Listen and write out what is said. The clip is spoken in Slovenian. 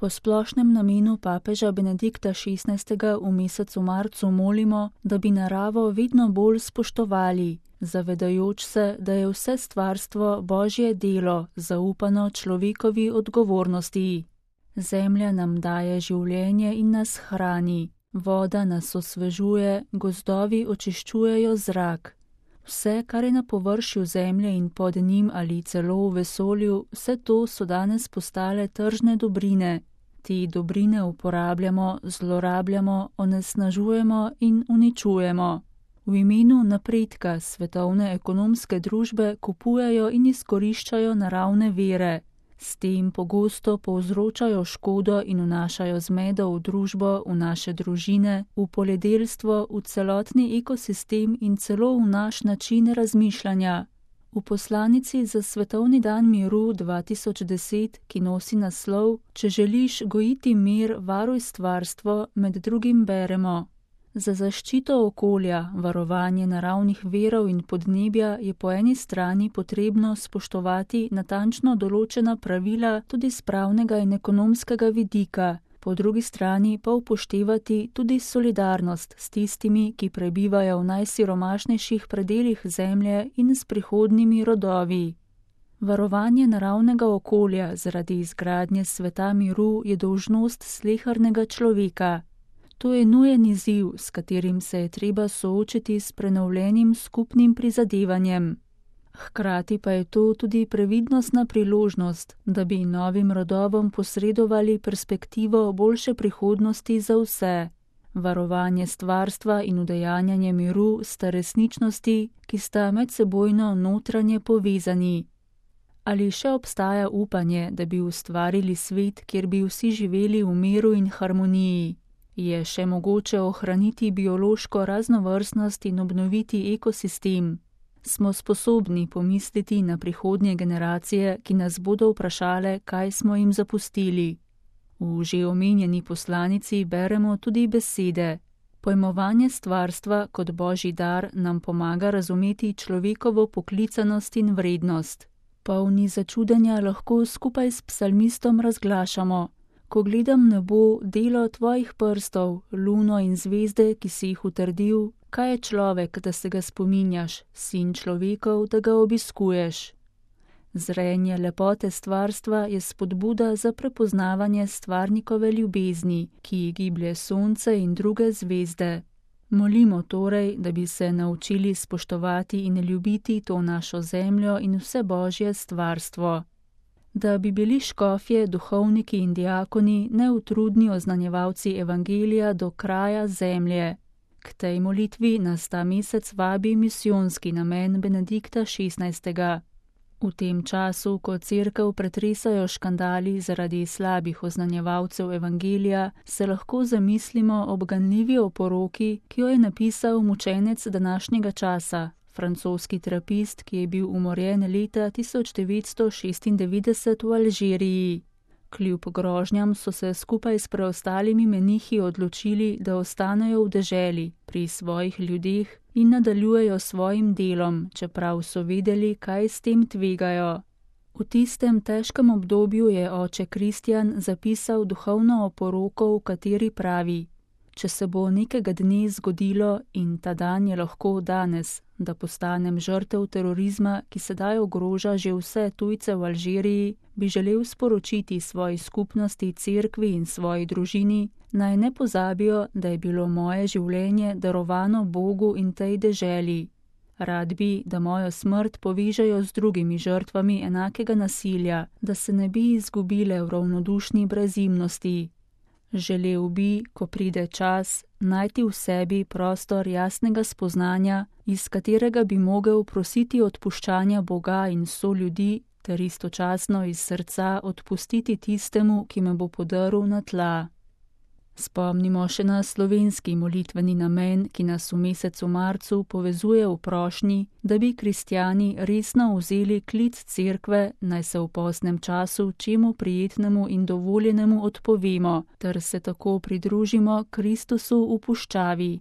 Po splošnem namenu papeža Benedikta XVI. V mesecu marcu molimo, da bi naravo vedno bolj spoštovali, zavedajoč se, da je vse stvarstvo Božje delo, zaupano človekovi odgovornosti. Zemlja nam daje življenje in nas hrani, voda nas osvežuje, gozdovi očiščujejo zrak. Vse, kar je na površju zemlje in pod njim ali celo v vesolju, vse to so danes postale tržne dobrine. Te dobrine uporabljamo, zlorabljamo, onesnažujemo in uničujemo. V imenu napredka svetovne ekonomske družbe kupujejo in izkoriščajo naravne vire. S tem pogosto povzročajo škodo in vnašajo zmedo v družbo, v naše družine, v poljedelstvo, v celotni ekosistem in celo v naš način razmišljanja. V poslanici za Svetovni dan miru 2010, ki nosi naslov Če želiš gojiti mir, varuj stvarstvo, med drugim beremo: Za zaščito okolja, varovanje naravnih virov in podnebja je po eni strani potrebno spoštovati natančno določena pravila tudi s pravnega in ekonomskega vidika, po drugi strani pa upoštevati tudi solidarnost s tistimi, ki prebivajo v najsiromašnejših predelih zemlje in s prihodnjimi rodovi. Varovanje naravnega okolja zaradi izgradnje sveta miru je dolžnost slehernega človeka. To je nujen izziv, s katerim se je treba soočiti s prenovljenim skupnim prizadevanjem. Hkrati pa je to tudi previdnostna priložnost, da bi novim rodovom posredovali perspektivo boljše prihodnosti za vse. Varovanje stvarstva in udejanjanje miru sta resničnosti, ki sta medsebojno notranje povezani. Ali še obstaja upanje, da bi ustvarili svet, kjer bi vsi živeli v miru in harmoniji? Je še mogoče ohraniti biološko raznovrstnost in obnoviti ekosistem? Smo sposobni pomisliti na prihodnje generacije, ki nas bodo vprašale, kaj smo jim zapustili? V že omenjeni poslanici beremo tudi besede: Pojmovanje stvarstva kot Božji dar nam pomaga razumeti človekovo poklicanost in vrednost. Polni začudenja lahko skupaj s psalmistom razglašamo: Ko gledam nebo, delo tvojih prstov, luno in zvezde, ki si jih utrdil, kaj je človek, da se ga spominjaš, sin človekov, da ga obiskuješ. Zrenje lepote stvarstva je spodbuda za prepoznavanje stvarnikove ljubezni, ki ji giblje sonce in druge zvezde. Molimo torej, da bi se naučili spoštovati in ljubiti to našo zemljo in vse Božje stvarstvo. Da bi bili škofje, duhovniki in diakoni neutrudni oznanjevalci evangelija do kraja zemlje. K tej molitvi nas ta mesec vabi misijonski namen Benedikta XVI. V tem času, ko cerkev pretresajo škandali zaradi slabih oznanjevalcev evangelija, se lahko zamislimo ob ganljivi oporoki, ki jo je napisal mučenec današnjega časa, francoski trapist, ki je bil umorjen leta 1996 v Alžiriji. Kljub grožnjam so se skupaj s preostalimi menihi odločili, da ostanejo v deželi, pri svojih ljudeh in nadaljujejo svojim delom, čeprav so vedeli, kaj s tem tvegajo. V tistem težkem obdobju je oče Kristjan zapisal duhovno oporoko, v kateri pravi: Če se bo nekega dne zgodilo, in ta dan je lahko danes, da postanem žrtev terorizma, ki sedaj ogroža že vse tujce v Alžiriji, bi želel sporočiti svoji skupnosti, cerkvi in svoji družini, naj ne pozabijo, da je bilo moje življenje darovano Bogu in tej deželi. Rad bi, da mojo smrt povežejo z drugimi žrtvami enakega nasilja, da se ne bi izgubile v ravnodušni brezimnosti. Želel bi, ko pride čas, najti v sebi prostor jasnega spoznanja, iz katerega bi mogel prositi odpuščanja Boga in soljudi, ter istočasno iz srca odpustiti tistemu, ki me bo podrl na tla. Spomnimo še na slovenski molitveni namen, ki nas v mesecu marcu povezuje v prošnji, da bi kristjani resno vzeli klic cerkve, naj se v postnem času čemu prijetnemu in dovoljenemu odpovemo, ter se tako pridružimo Kristusu v puščavi.